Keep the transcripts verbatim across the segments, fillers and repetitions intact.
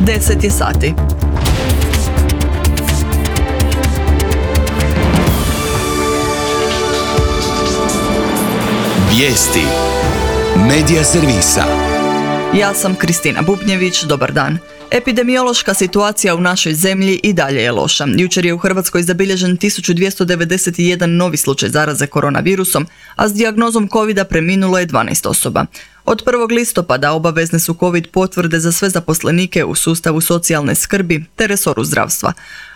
deset je sati. Vijesti Medija servisa. Ja sam Kristina Bubnjević, dobar dan. Epidemiološka situacija u našoj zemlji i dalje je loša. Jučer je u Hrvatskoj zabilježen tisuću dvjesto devedeset jedan novi slučaj zaraze koronavirusom, a s dijagnozom covida preminulo je dvanaest osoba. Od prvog listopada obavezne su covid potvrde za sve zaposlenike u sustavu socijalne skrbi te resoru zdravstva.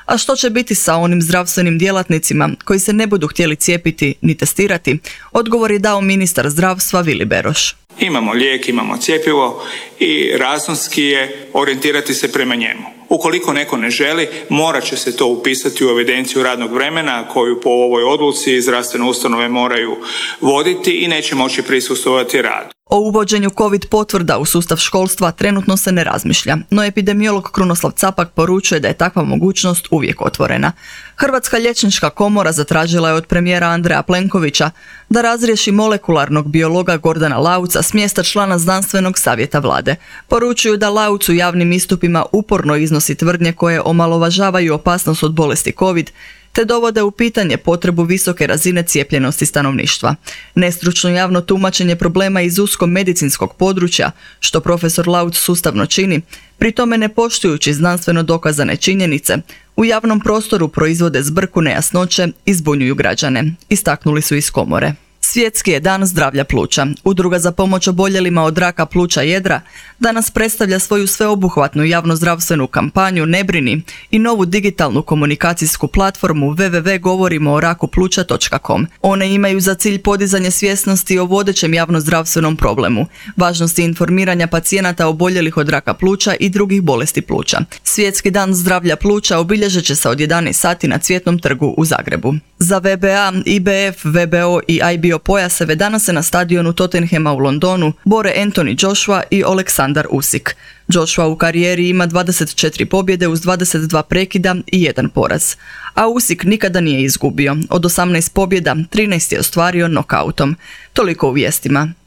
A što će biti sa onim zdravstvenim djelatnicima koji se ne budu htjeli cijepiti ni testirati? Odgovor je dao ministar zdravstva Vili Beroš. Imamo lijek, imamo cjepivo i razumski je orijentirati se prema njemu. Ukoliko neko ne želi, morat će se to upisati u evidenciju radnog vremena koju po ovoj odluci zdravstvene ustanove moraju voditi i neće moći prisustvovati radu. O uvođenju covid potvrda u sustav školstva trenutno se ne razmišlja, no epidemiolog Krunoslav Capak poručuje da je takva mogućnost uvijek otvorena. Hrvatska liječnička komora zatražila je od premijera Andreja Plenkovića da razriješi molekularnog biologa Gordana Lauca s mjesta člana znanstvenog savjeta vlade. Poručuju da Lauc u javnim istupima uporno iznosi tvrdnje koje omalovažavaju opasnost od bolesti covid, te dovode u pitanje potrebu visoke razine cijepljenosti stanovništva. Nestručno javno tumačenje problema iz usko medicinskog područja, što profesor Lauc sustavno čini, pri tome ne poštujući znanstveno dokazane činjenice, u javnom prostoru proizvode zbrku, nejasnoće i zbunjuju građane, istaknuli su iz komore. Svjetski je dan zdravlja pluća. Udruga za pomoć oboljelima od raka pluća jedra danas predstavlja svoju sveobuhvatnu javnozdravstvenu kampanju Ne brini i novu digitalnu komunikacijsku platformu w w w točka govorimo o raku pluća točka com. One imaju za cilj podizanje svjesnosti o vodećem javnozdravstvenom problemu, važnosti informiranja pacijenata oboljelih od raka pluća i drugih bolesti pluća. Svjetski dan zdravlja pluća obilježit će se od jedanaest sati na Cvjetnom trgu u Zagrebu. Za V B A, I B F, V B O i I B O pojaseve danas se na stadionu Tottenhama u Londonu bore Anthony Joshua i Oleksandar Usyk. Joshua u karijeri ima dvadeset četiri pobjede uz dvadeset dva prekida i jedan poraz. A Usyk nikada nije izgubio. Od osamnaest pobjeda, trinaest je ostvario nokautom. Toliko u vijestima.